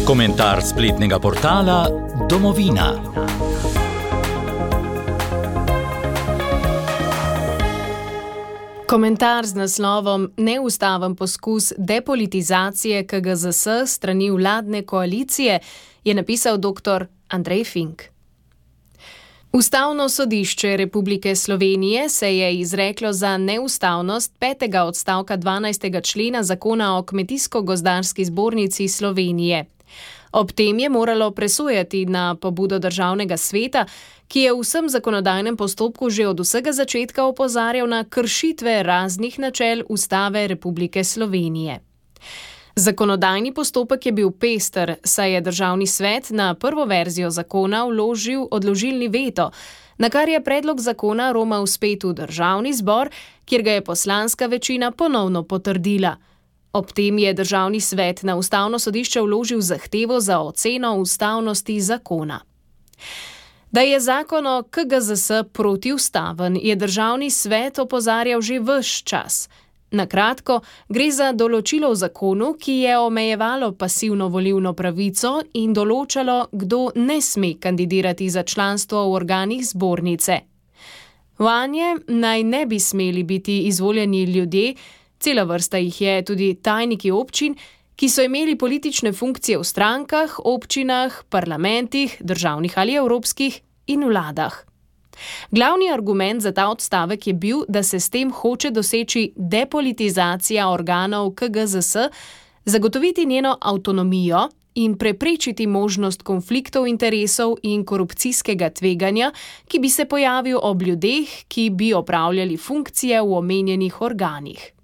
Komentar spletnega portala Domovina. Komentar z naslovom Neustaven poskus depolitizacije KGZS strani vladne koalicije je napisal dr. Andrej Fink. Ustavno sodišče Republike Slovenije se je izreklo za neustavnost 5. odstavka 12. člena Zakona o Kmetijsko-gozdarski zbornici Slovenije. Ob tem je moralo presojati na pobudo Državnega sveta, ki je v vsem zakonodajnem postopku že od vsega začetka opozarjal na kršitve raznih načel Ustave Republike Slovenije. Zakonodajni postopek je bil pester, saj je Državni svet na prvo verzijo zakona vložil odložilni veto, na kar je predlog zakona romal spet v Državni zbor, kjer ga je poslanska večina ponovno potrdila. Ob tem je Državni svet na Ustavno sodišče vložil zahtevo za oceno ustavnosti zakona. Da je zakon o KGZS protiustaven, je Državni svet opozarjal že ves čas. Na kratko, gre za določilo v zakonu, ki je omejevalo pasivno volilno pravico in določalo, kdo ne sme kandidirati za članstvo v organih zbornice. Vanje naj ne bi smeli biti izvoljeni ljudje, cela vrsta jih je tudi tajniki občin, ki so imeli politične funkcije v strankah, občinah, parlamentih, državnih ali evropskih in vladah. Glavni argument za ta odstavek je bil, da se s tem hoče doseči depolitizacija organov KGZS, zagotoviti njeno avtonomijo in preprečiti možnost konfliktov interesov in korupcijskega tveganja, ki bi se pojavil ob ljudeh, ki bi opravljali funkcije v omenjenih organih.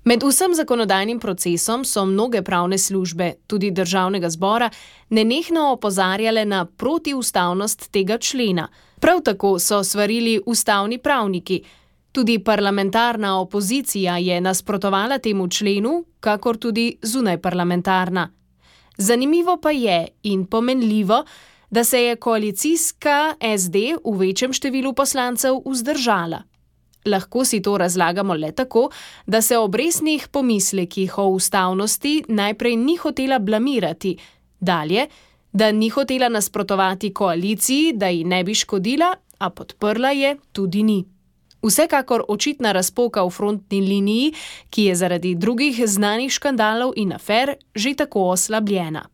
Med vsem zakonodajnim procesom so mnoge pravne službe, tudi Državnega zbora, nenehno opozarjale na protiustavnost tega člena. Prav tako so svarili ustavni pravniki. Tudi parlamentarna opozicija je nasprotovala temu členu, kakor tudi zunajparlamentarna. Zanimivo pa je in pomenljivo, da se je koalicijska SD v večjem številu poslancev vzdržala. Lahko si to razlagamo le tako, da se ob resnih pomislekih o ustavnosti najprej ni hotela blamirati, dalje, da ni hotela nasprotovati koaliciji, da ji ne bi škodila, a podprla je tudi ni. Vsekakor očitna razpoka v frontni liniji, ki je zaradi drugih znanih škandalov in afer že tako oslabljena.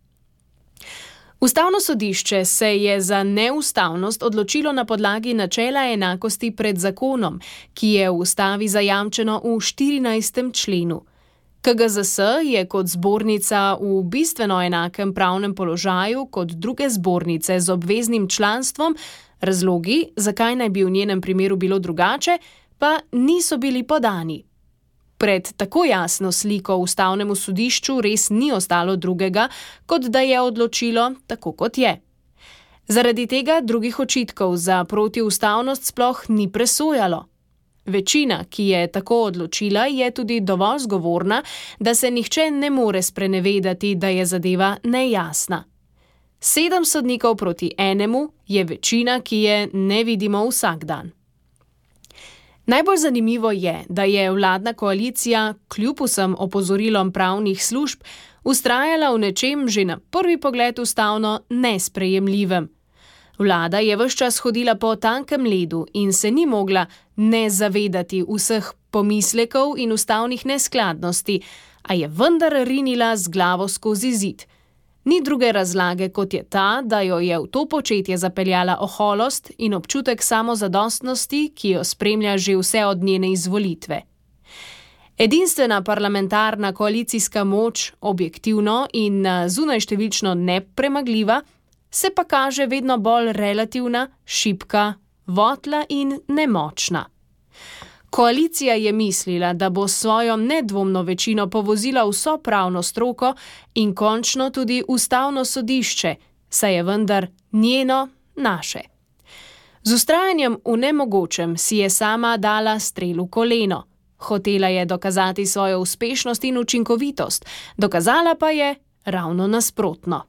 Ustavno sodišče se je za neustavnost odločilo na podlagi načela enakosti pred zakonom, ki je v ustavi zajamčeno v 14. členu. KGZS je kot zbornica v bistveno enakem pravnem položaju kot druge zbornice z obveznim članstvom, razlogi, zakaj naj bi v njenem primeru bilo drugače, pa niso bili podani. Pred tako jasno sliko Ustavnemu sodišču res ni ostalo drugega, kot da je odločilo tako, kot je. Zaradi tega drugih očitkov za protiustavnost sploh ni presojalo. Večina, ki je tako odločila, je tudi dovolj zgovorna, da se nihče ne more sprenevedati, da je zadeva nejasna. 7 sodnikov proti 1 je večina, ki je ne vidimo vsak dan. Najbolj zanimivo je, da je vladna koalicija kljub vsem opozorilom pravnih služb vztrajala v nečem že na prvi pogled ustavno nesprejemljivem. Vlada je ves čas hodila po tankem ledu in se ni mogla ne zavedati vseh pomislekov in ustavnih neskladnosti, a je vendar rinila z glavo skozi zid. Ni druge razlage, kot je ta, da jo je v to početje zapeljala oholost in občutek samozadostnosti, ki jo spremlja že vse od njene izvolitve. Edinstvena parlamentarna koalicijska moč, objektivno in zunajštevilčno nepremagljiva, se pa kaže vedno bolj relativna, šibka, votla in nemočna. Koalicija je mislila, da bo s svojo nedvomno večino povozila vso pravno stroko in končno tudi Ustavno sodišče, saj je vendar njeno naše. Z vztrajanjem v nemogočem si je sama dala strel v koleno. Hotela je dokazati svojo uspešnost in učinkovitost, dokazala pa je ravno nasprotno.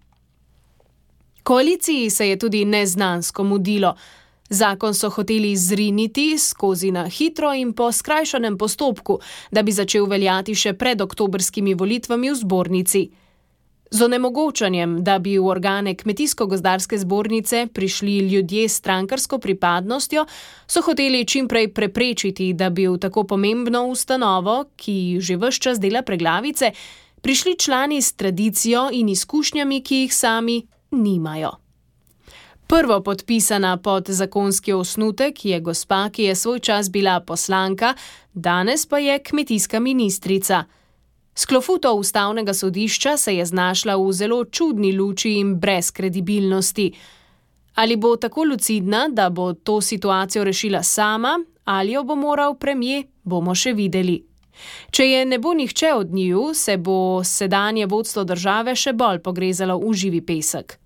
Koaliciji se je tudi neznansko mudilo. Zakon so hoteli zriniti skozi na hitro in po skrajšanem postopku, da bi začel veljati še pred oktobrskimi volitvami v zbornici. Z onemogočanjem, da bi v organe Kmetijsko-gozdarske zbornice prišli ljudje s strankarsko pripadnostjo, so hoteli čimprej preprečiti, da bi v tako pomembno ustanovo, ki že ves čas dela preglavice, prišli člani s tradicijo in izkušnjami, ki jih sami nimajo. Prvo podpisana pod zakonski osnutek je gospa, ki je svoj čas bila poslanka, danes pa je kmetijska ministrica. S klofuto ustavnega sodišča se je znašla v zelo čudni luči in brez kredibilnosti. Ali bo tako lucidna, da bo to situacijo rešila sama, ali jo bo moral premier, bomo še videli. Če je ne bo nihče od njiju, se bo sedanje vodstvo države še bolj pogrezalo v živi pesek.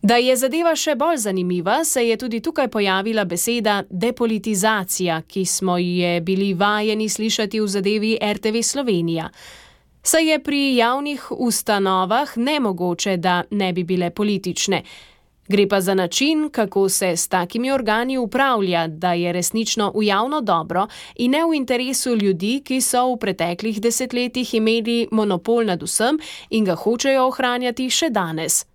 Da je zadeva še bolj zanimiva, se je tudi tukaj pojavila beseda depolitizacija, ki smo je bili vajeni slišati v zadevi RTV Slovenija. Saj je pri javnih ustanovah nemogoče, da ne bi bile politične. Gre pa za način, kako se s takimi organi upravlja, da je resnično v javno dobro in ne v interesu ljudi, ki so v preteklih desetletjih imeli monopol nad vsem in ga hočejo ohranjati še danes.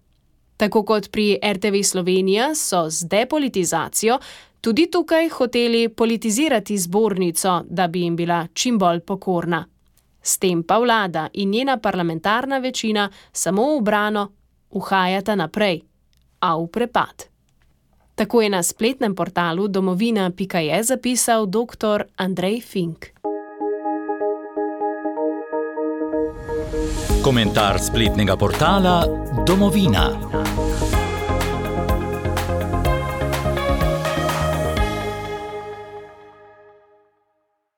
Tako kot pri RTV Slovenija so z depolitizacijo tudi tukaj hoteli politizirati zbornico, da bi jim bila čim bolj pokorna. S tem pa vlada in njena parlamentarna večina samo v brano uhajata naprej, a v prepad. Tako je na spletnem portalu domovina.je zapisal dr. Andrej Fink. Komentar spletnega portala Domovina.